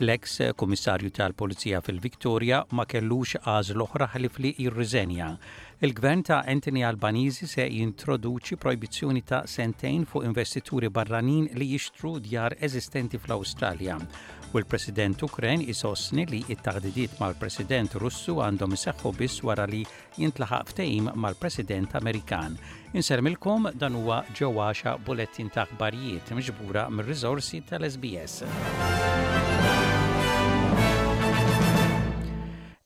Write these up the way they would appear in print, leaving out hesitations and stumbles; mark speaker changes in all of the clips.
Speaker 1: L-eks Kummissarju tal-Pulizija fil-Victoria ma kellux għażla oħra ħlief li jirriżenja. Il-Gvern ta' Anthony Albanese se jintroduċi projbizzjoni ta' sentejn fuq investituri barranin li jixtru djar eżistenti fl-Awstralja. U l-President Ukren isostni li t-taħdidiet mal-President Russu għandhom iseħħu biss wara li jintlaħaq ftehim mal-President Amerikan. Insellmilkom dan huwa Ġew Għaxa bulettin ta' aħbarijiet miġbura mir-riżorsi tal-SBS.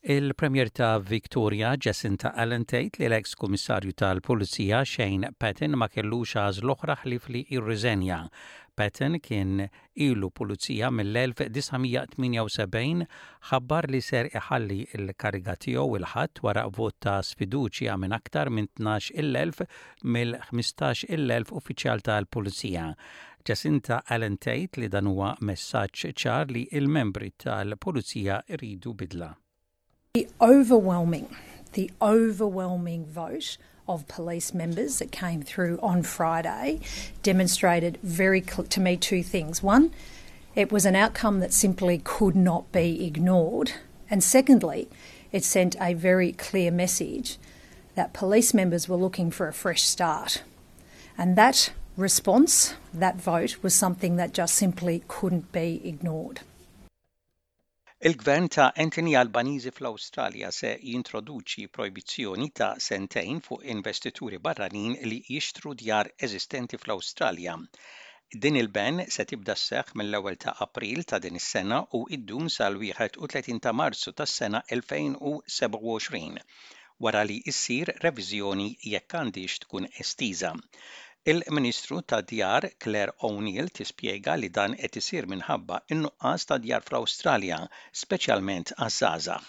Speaker 1: Il-Premier ta' Victoria, Jacinta Allen tgħid li l-eks Kummissarju tal-Pulizija Shane Patton ma kellux għażla oħra ħlief li jirriżenja. Patton kien Ilu pulizija mill-1978, ħabbar li ser iħalli l-kariga tiegħu il-Ħadd wara vot ta' sfiduċja minn aktar minn 12,000 mill-15,000 uffiċjal tal-pulizija. Jacinta Allen tgħid li dan huwa messaġġ ċar li l-membri tal-pulizija jridu bidla.
Speaker 2: The overwhelming, the overwhelming vote of police members that came through on Friday demonstrated very to me two things. One, it was an outcome that simply could not be ignored. And secondly, it sent a very clear message that police members were looking for a fresh start. And that response, that vote, was something that just simply couldn't be ignored.
Speaker 1: Il-Gvern ta' Anthony Albanese fl-Awstralja se jintroduċi projbizzjoni ta' sentejn fuq investituri barranin li jixtru djar eżistenti fl-Awstralja. Din il-ban se tibda sseħħ mill-ewwel ta' April ta' din is-sena u ddum sal-31 ta' Marzu tas-sena 2027, wara li ssir reviżjoni jekk għandhiex tkun estiża. Il-Ministru tad-Djar Clare O'Neil tispjega li dan qed isir minħabba n-nuqqas ta' djar fl-Awstralja, speċjalment għaż-żgħażagħ.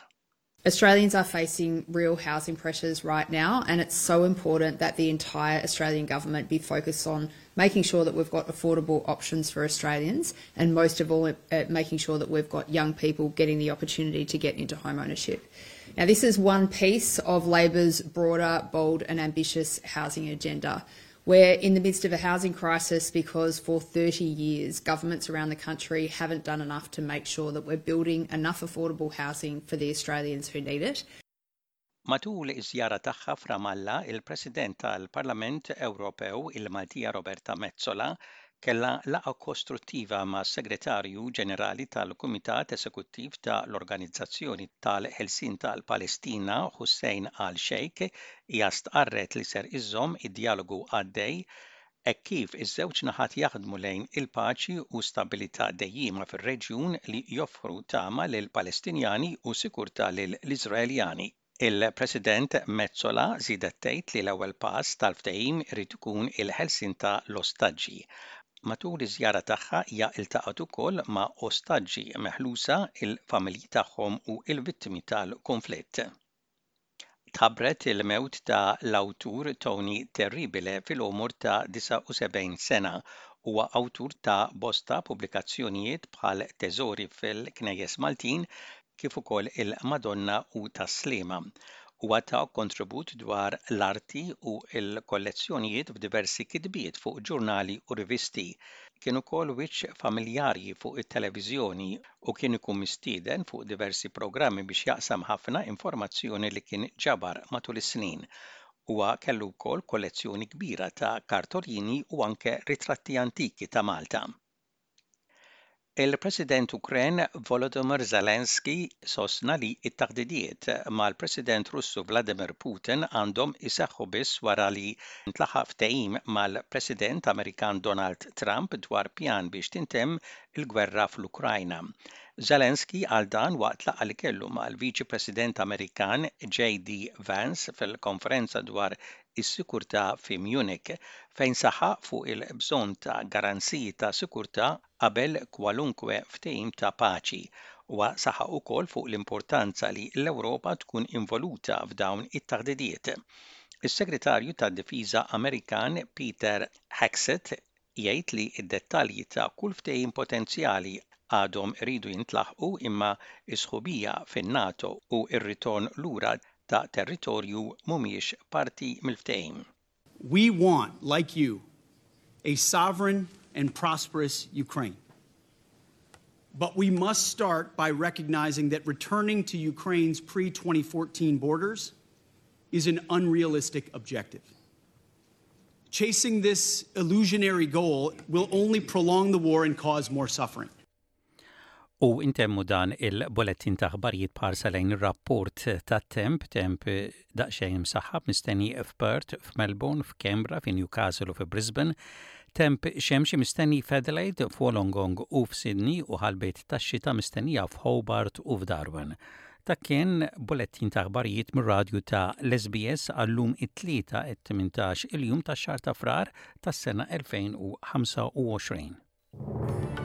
Speaker 3: Australians are facing real housing pressures right now, and it's so important that the entire Australian government be focused on making sure that we've got affordable options for Australians, and most of all, uh, making sure that we've got young people getting the opportunity to get into home ownership. Now, this is one piece of Labor's broader, bold, and ambitious housing agenda. We're in the midst of a housing crisis because for 30 years, governments around the country haven't done enough to make sure that we're building enough affordable housing for the Australians who need it.
Speaker 1: Matul iż-żjara tagħha f'Ramallah, il-President tal-Parlament Ewropew, il-Maltija Roberta Metsola, kellha laqgħa kostruttiva mas-Segretarju Ġenerali tal-Kumitat Esekuttiv ta' l-Organizzazzjoni tal-Ħelsien tal-Palestina, Hussein al-Sheikh. Hija stqarret li ser iżżomm id-djalogu għaddej hekk kif iż-żewġ naħat jaħdmu lejn il-paċi u stabbilità dejjiema fir-reġjun li joffru tama lill-Palestinjani u sikurtà lill-Iżraeljani. Il-President Metsola żiedet tgħid li l-ewwel pass tal-ftehim irid ikun il-ħelsien ta' l-ostaġġi. Matul iż-żjara tagħha hija ltaqgħet ukoll ma' ostaġġi meħlusa, il-familji tagħhom u l-vittmi tal-kunflitt. Tħabbret il-mewt ta' l-awtur Tony Terribile fil-għomor ta' 79 sena. Huwa awtur ta' bosta pubblikazzjonijiet bħal Teżori fil-Knejjes Maltin, kif ukoll il-Madonna u Tas-Sliema. Huwa ta kontribut dwar l-arti u l-kollezzjonijiet f'diversi kitbiet fuq ġurnali u rivisti. Kien ukoll wiċċ familjari fuq it-televiżjoni u kien ikun mistieden fuq diversi programmi biex jaqsam ħafna informazzjoni li kien ġabar matul is-snin. Huwa kellu wkoll kollezzjoni kbira ta' kartolini u anke ritratti antiki ta' Malta. Il-President Ukren Volodymyr Zelensky sostna li t-taħdidiet mal-President Russu Vladimir Putin għandhom iseħħu biss wara li ntlaħaq ftehim mal-President Amerikan Donald Trump dwar pjan biex tintemm il-gwerra fl-Ukrajna. Zelensky qal dan waqt laqgħa li kellu mal-Viċi President Amerikan JD Vance fil-konferenza dwar is-sikurtà fi Munich, fejn saħaq fuq il-bżonn ta' garanziji ta' sikurtà qabel kwalunkwe ftehim ta' paċi. Huwa saħaq ukoll fuq l-importanza li l-Ewropa tkun involuta f'dawn it-taħdidiet. Is-Segretarju tad-Difiża Amerikan Peter Hegseth jgħid li d-dettalji ta' kull ftehim potenzjali għadhom iridu jintlaħqu imma s-sħubija fin-NATO u r-ritorn lura ta' territorju mhumiex parti mill-ftehim.
Speaker 4: We want, like you, a sovereign and prosperous Ukraine. But we must start by recognizing that returning to Ukraine's pre 2014 borders is an unrealistic objective. Chasing this illusionary goal will only prolong the war and cause more suffering.
Speaker 1: U intemmu dan il-bulettin ta' aħbarijiet b'ħarsa lejn ir-rapport tat-temp, temp daqsxejn imsaħħab mistenni f'Perth, f'Melbourne, f'Canberra, fi Newcastle u fi Brisbane, temp xemxi mistenni f'Adelaide, f'Wollongong u f'Sydney u ħalbiet tax-xita mistennija f'Hobart u f'Darwin. Dak kien bulettin ta' aħbarijiet mir-radju ta' l-SBS għal-lum it-Tlieta 18 il-jum tax-xahar ta' Frar tas-sena 2025.